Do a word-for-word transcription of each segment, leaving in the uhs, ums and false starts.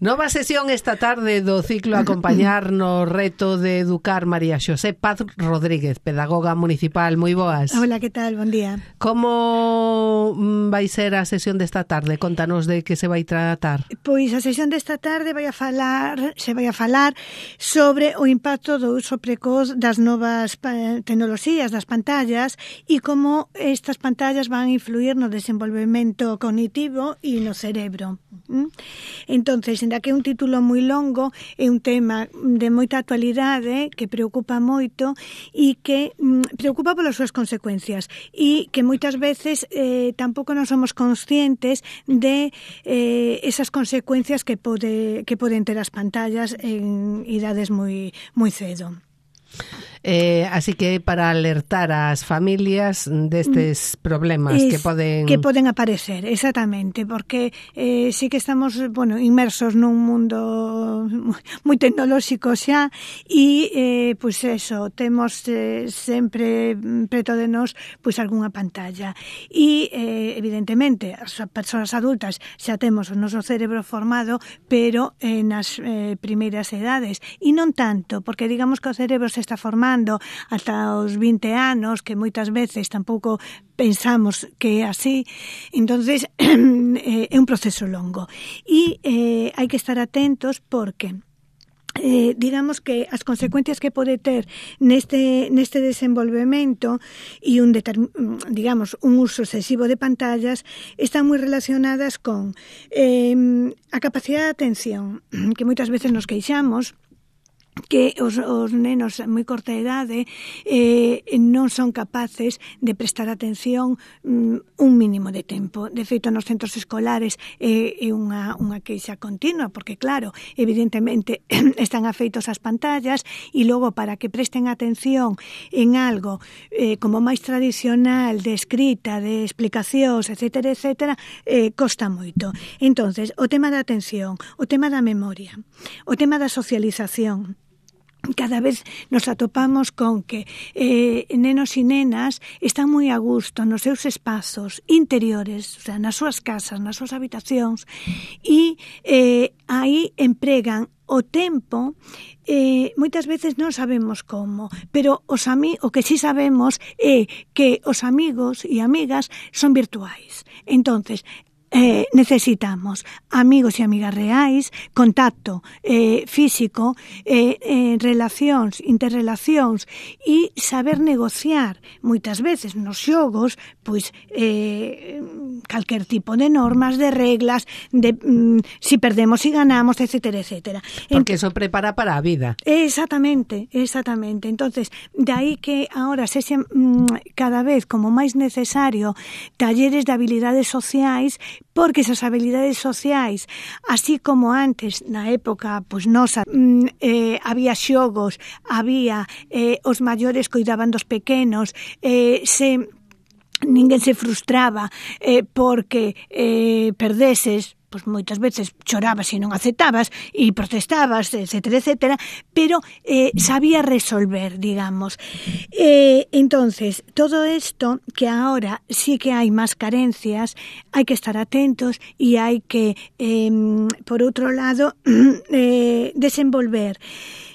Nova sesión esta tarde do ciclo acompañar no reto de educar María Xosé Paz Rodríguez, pedagoga municipal. Moi boas. Hola, que tal? Bon día. Como vai ser a sesión desta tarde? Contanos de que se vai tratar. Pois a sesión desta tarde vai a falar, se vai a falar sobre o impacto do uso precoz das novas tecnoloxías, das pantallas, e como estas pantallas van a influir no desenvolvemento cognitivo e no cerebro. Entonces, ainda que é un título moi longo, é un tema de moita actualidade que preocupa moito e que mm, preocupa polas súas consecuencias e que moitas veces eh, tampouco non somos conscientes de eh, esas consecuencias que pode que poden ter as pantallas en idades moi moi cedo. Eh, así que para alertar ás familias destes problemas es, que poden que poden aparecer, exactamente, porque eh, sí que estamos, bueno, inmersos nun mundo moi tecnolóxico xa e eh, pois eso, temos eh, sempre preto de nós pois algunha pantalla e eh, evidentemente as persoas adultas xa temos o noso cerebro formado, pero eh, nas eh, primeiras edades e non tanto, porque digamos que o cerebro se está formando ata os vinte anos, que moitas veces tampouco pensamos que é así. Entonces é un proceso longo e eh, hai que estar atentos porque Eh, digamos que as consecuencias que pode ter neste neste desenvolvemento e un determ, digamos un uso excesivo de pantallas están moi relacionadas con eh, a capacidade de atención, que moitas veces nos queixamos que os, os nenos en moi corta idade eh, non son capaces de prestar atención mm, un mínimo de tempo. De feito, nos centros escolares é eh, unha, unha queixa continua, porque claro, evidentemente están afeitos ás pantallas e logo para que presten atención en algo eh, como máis tradicional de escrita, de explicacións, etcétera, etcétera, eh, costa moito. Entonces, o tema da atención, o tema da memoria, o tema da socialización, cada vez nos atopamos con que eh, nenos e nenas están moi a gusto nos seus espazos interiores, o sea, nas súas casas, nas súas habitacións, e eh, aí empregan o tempo, eh, moitas veces non sabemos como, pero os ami- o que sí sabemos é que os amigos e amigas son virtuais. Entonces, Eh, necesitamos amigos e amigas reais, contacto eh, físico, eh, eh, relacións, interrelacións e saber negociar moitas veces nos xogos pois eh, calquer tipo de normas, de reglas, de mm, si perdemos e ganamos, etcétera, etcétera. Porque eso prepara para a vida. Exactamente, exactamente. Entonces, de aí que ahora se xe, mm, cada vez como máis necesario talleres de habilidades sociais, porque esas habilidades sociais, así como antes, na época, pois nosa, eh, había xogos, había eh, os maiores cuidaban dos pequenos, eh, se ninguén se frustraba eh, porque eh, perdeses, pois moitas veces chorabas e non aceptabas e protestabas, etcétera, etcétera, pero eh, sabía resolver, digamos. Eh, entonces, todo isto que ahora sí que hai máis carencias, hai que estar atentos e hai que, eh, por outro lado, eh, desenvolver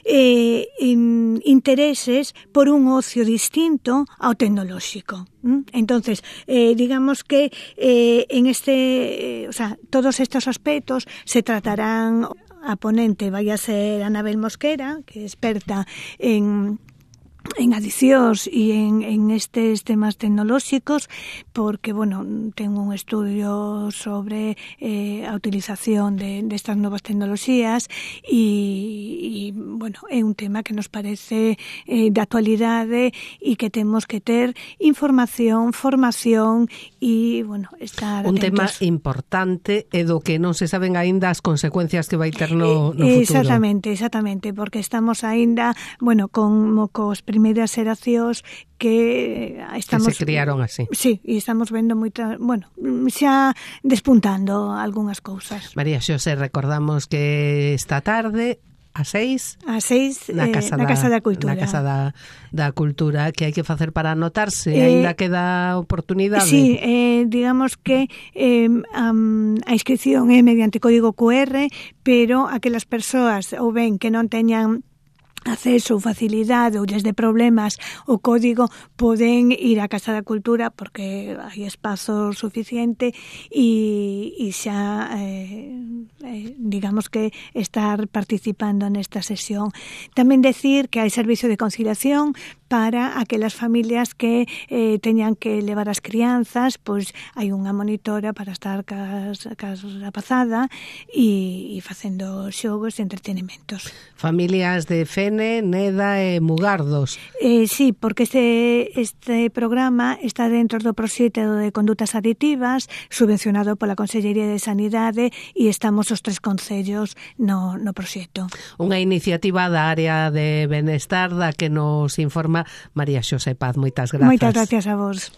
eh, in, intereses por un ocio distinto ao tecnolóxico. Entonces, eh, digamos que eh, en este, eh, o sea, todos estos aspectos se tratarán. A ponente vai a ser Anabel Mosquera, que é experta en en adicións e en, en estes temas tecnolóxicos, porque, bueno, ten un estudio sobre eh, a utilización de, de estas novas tecnoloxías e, e, bueno, é un tema que nos parece eh, de actualidade e que temos que ter información, formación e, bueno, estar un atentos. Un tema importante e do que non se saben aínda as consecuencias que vai ter no, no futuro. Exactamente, exactamente, porque estamos aínda, bueno, como cos primeiras xeracións que estamos... Que se criaron así. Sí, e estamos vendo moita, bueno, xa despuntando algunhas cousas. María Xosé, recordamos que esta tarde a seis a seis na eh, Casa, na da, casa da Cultura. Na Casa da, da Cultura, que hai que facer para anotarse, Eh, ainda queda oportunidade. Sí, eh, digamos que eh, um, a inscripción é mediante código Q R, pero aquelas persoas ou ben que non teñan acceso ou facilidade ou lles de problemas o código, poden ir á Casa da Cultura porque hai espazo suficiente e, e xa eh, eh, digamos que estar participando nesta sesión. Tamén decir que hai servicio de conciliación para aquelas familias que eh, teñan que levar as crianzas, pois hai unha monitora para estar cas, cas rapazada e, e facendo xogos e entretenimentos. Familias de Fene, Neda e Mugardos. Eh, sí, porque este, este programa está dentro do proxecto de condutas aditivas subvencionado pola Consellería de Sanidade e estamos os tres concellos no, no proxecto. Unha iniciativa da área de benestar da que nos informa María Xosé Paz. Moitas grazas. Moitas gracias a vos.